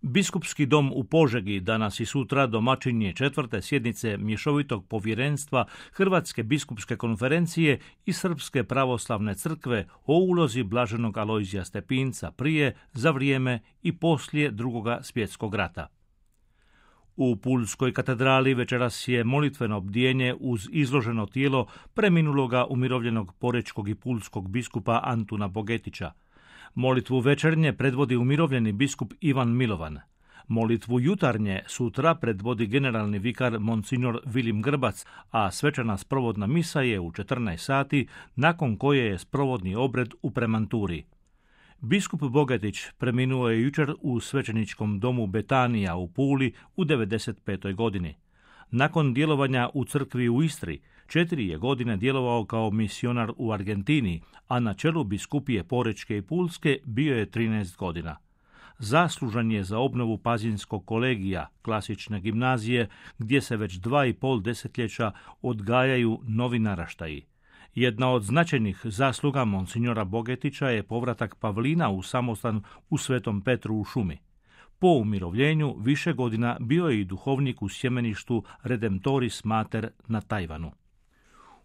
Biskupski dom u Požegi danas i sutra domaćin je 4. sjednice mješovitog povjerenstva Hrvatske biskupske konferencije i Srpske pravoslavne crkve o ulozi blaženog Alojzija Stepinca prije, za vrijeme i poslije Drugog svjetskog rata. U Pulskoj katedrali večeras je molitveno bdijenje uz izloženo tijelo preminuloga umirovljenog porečkog i pulskog biskupa Antuna Bogetića. Molitvu večernje predvodi umirovljeni biskup Ivan Milovan. Molitvu jutarnje sutra predvodi generalni vikar Monsignor Vilim Grbac, a svečana sprovodna misa je u 14 sati, nakon koje je sprovodni obred u premanturi. Biskup Bogetić preminuo je jučer u svećeničkom domu Betanija u Puli u 95. godini. Nakon djelovanja u crkvi u Istri, 4 je godine djelovao kao misionar u Argentini, a na čelu biskupije Porečke i Pulske bio je 13 godina. Zaslužan je za obnovu Pazinskog kolegija, klasične gimnazije, gdje se već 2,5 desetljeća odgajaju novi naraštaji. Jedna od značajnih zasluga monsignora Bogetića je povratak Pavlina u samostan u Svetom Petru u šumi. Po umirovljenju više godina bio je i duhovnik u sjemeništu Redemptoris Mater na Tajvanu.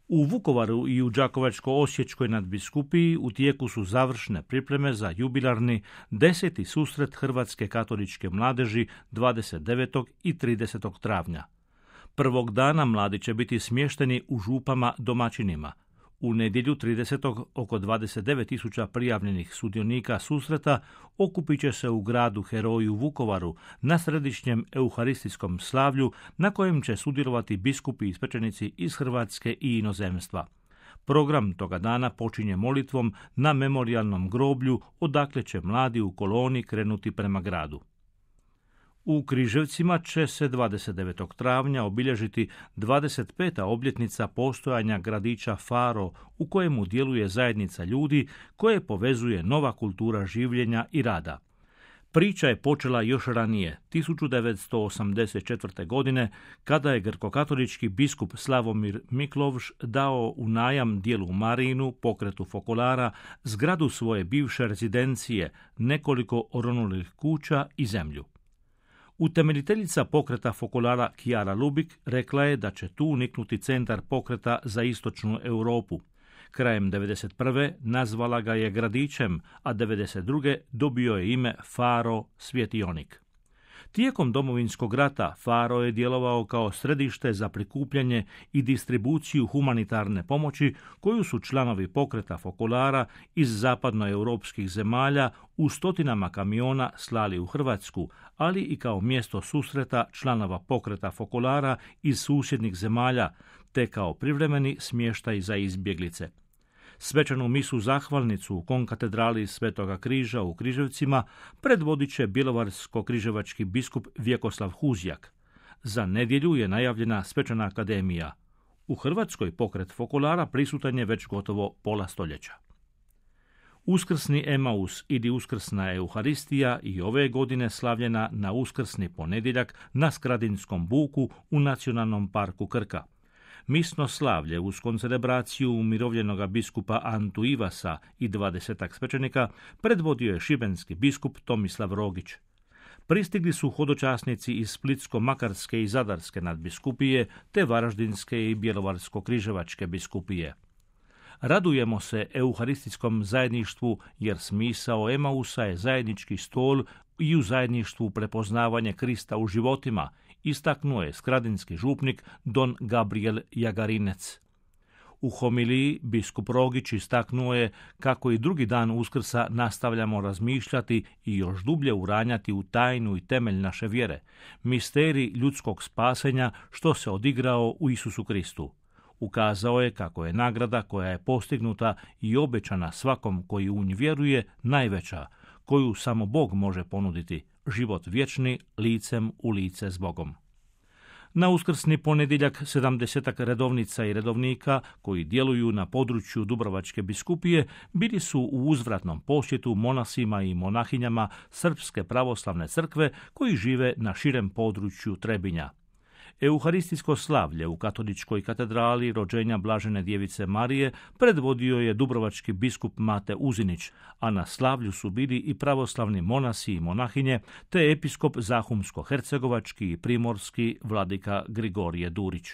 U Vukovaru i u Đakovačko-osječkoj nadbiskupiji u tijeku su završne pripreme za jubilarni 10. susret Hrvatske katoličke mladeži 29. i 30. travnja. Prvog dana mladi će biti smješteni u župama domaćinima. U nedjelju 30. oko 29.000 prijavljenih sudionika susreta okupit će se u gradu Heroju Vukovaru na središnjem euharistijskom slavlju na kojem će sudjelovati biskupi i svećenici iz Hrvatske i inozemstva. Program toga dana počinje molitvom na memorijalnom groblju odakle će mladi u koloni krenuti prema gradu. U Križevcima će se 29. travnja obilježiti 25. obljetnica postojanja gradića Faro u kojemu djeluje zajednica ljudi koje povezuje nova kultura življenja i rada. Priča je počela još ranije, 1984. godine, kada je grkokatolički biskup Slavomir Miklovš dao u najam dijelu Marinu, pokretu Fokolara, zgradu svoje bivše rezidencije, nekoliko oronulih kuća i zemlju. Utemeljiteljica pokreta Fokolara Kijara Lubik rekla je da će tu niknuti centar pokreta za istočnu Europu. Krajem 1991. nazvala ga je gradićem, a 1992. dobio je ime Faro Svjetionik. Tijekom Domovinskog rata Faro je djelovao kao središte za prikupljanje i distribuciju humanitarne pomoći koju su članovi pokreta Fokolara iz zapadnoeuropskih zemalja u stotinama kamiona slali u Hrvatsku, ali i kao mjesto susreta članova pokreta Fokolara iz susjednih zemalja, te kao privremeni smještaj za izbjeglice. Svečanu misu zahvalnicu u konkatedrali Svetoga križa u Križevcima predvodit će bjelovarsko-križevački biskup Vjekoslav Huzjak. Za nedjelju je najavljena svečana akademija. U Hrvatskoj pokret Fokolara prisutan je već gotovo pola stoljeća. Uskrsni Emaus ili uskrsna Euharistija i ove godine slavljena na uskrsni ponedjeljak na Skradinskom buku u Nacionalnom parku Krka. Misno slavlje uz koncelebraciju umirovljenoga biskupa Antu Ivasa i 20 svećenika predvodio je šibenski biskup Tomislav Rogić. Pristigli su hodočasnici iz Splitsko-makarske i Zadarske nadbiskupije te Varaždinske i Bjelovarsko-križevačke biskupije. Radujemo se euharistijskom zajedništvu jer smisao Emausa je zajednički stol i u zajedništvu prepoznavanje Krista u životima, istaknuo je skradinski župnik Don Gabriel Jagarinec. U homiliji biskup Rogić istaknuo je kako i drugi dan Uskrsa nastavljamo razmišljati i još dublje uranjati u tajnu i temelj naše vjere, misterij ljudskog spasenja što se odigrao u Isusu Kristu. Ukazao je kako je nagrada koja je postignuta i obećana svakom koji u nju vjeruje najveća, koju samo Bog može ponuditi, život vječni licem u lice s Bogom. Na uskrsni ponedjeljak 70 redovnica i redovnika koji djeluju na području Dubrovačke biskupije bili su u uzvratnom posjetu monasima i monahinjama Srpske pravoslavne crkve koji žive na širem području Trebinja. Euharistijsko slavlje u katoličkoj katedrali rođenja Blažene djevice Marije predvodio je dubrovački biskup Mate Uzinić, a na slavlju su bili i pravoslavni monasi i monahinje, te episkop zahumsko-hercegovački i primorski vladika Grigorije Durić.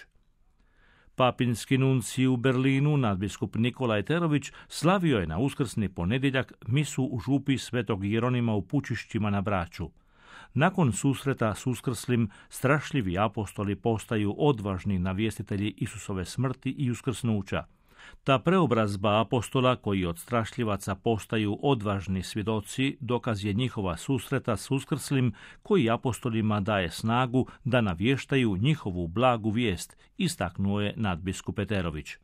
Papinski nuncij u Berlinu, nadbiskup Nikolaj Terović, slavio je na uskrsni ponedjeljak misu u župi Svetog Jeronima u Pučišćima na Braču. Nakon susreta s uskrslim, strašljivi apostoli postaju odvažni navjestitelji Isusove smrti i uskrsnuća. Ta preobrazba apostola, koji od strašljivaca postaju odvažni svjedoci, dokaz je njihova susreta s uskrslim, koji apostolima daje snagu da navještaju njihovu blagu vijest, istaknuo je nadbiskup Peterović.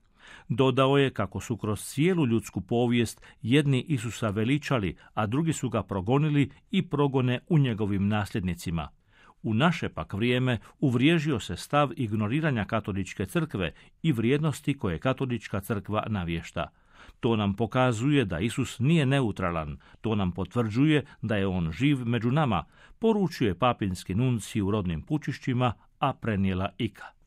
Dodao je kako su kroz cijelu ljudsku povijest jedni Isusa veličali, a drugi su ga progonili i progone u njegovim nasljednicima. U naše pak vrijeme uvriježio se stav ignoriranja katoličke crkve i vrijednosti koje katolička crkva navješta. To nam pokazuje da Isus nije neutralan, to nam potvrđuje da je on živ među nama, poručuje papinski nuncij u rodnim Pučišćima, a prenijela Ika.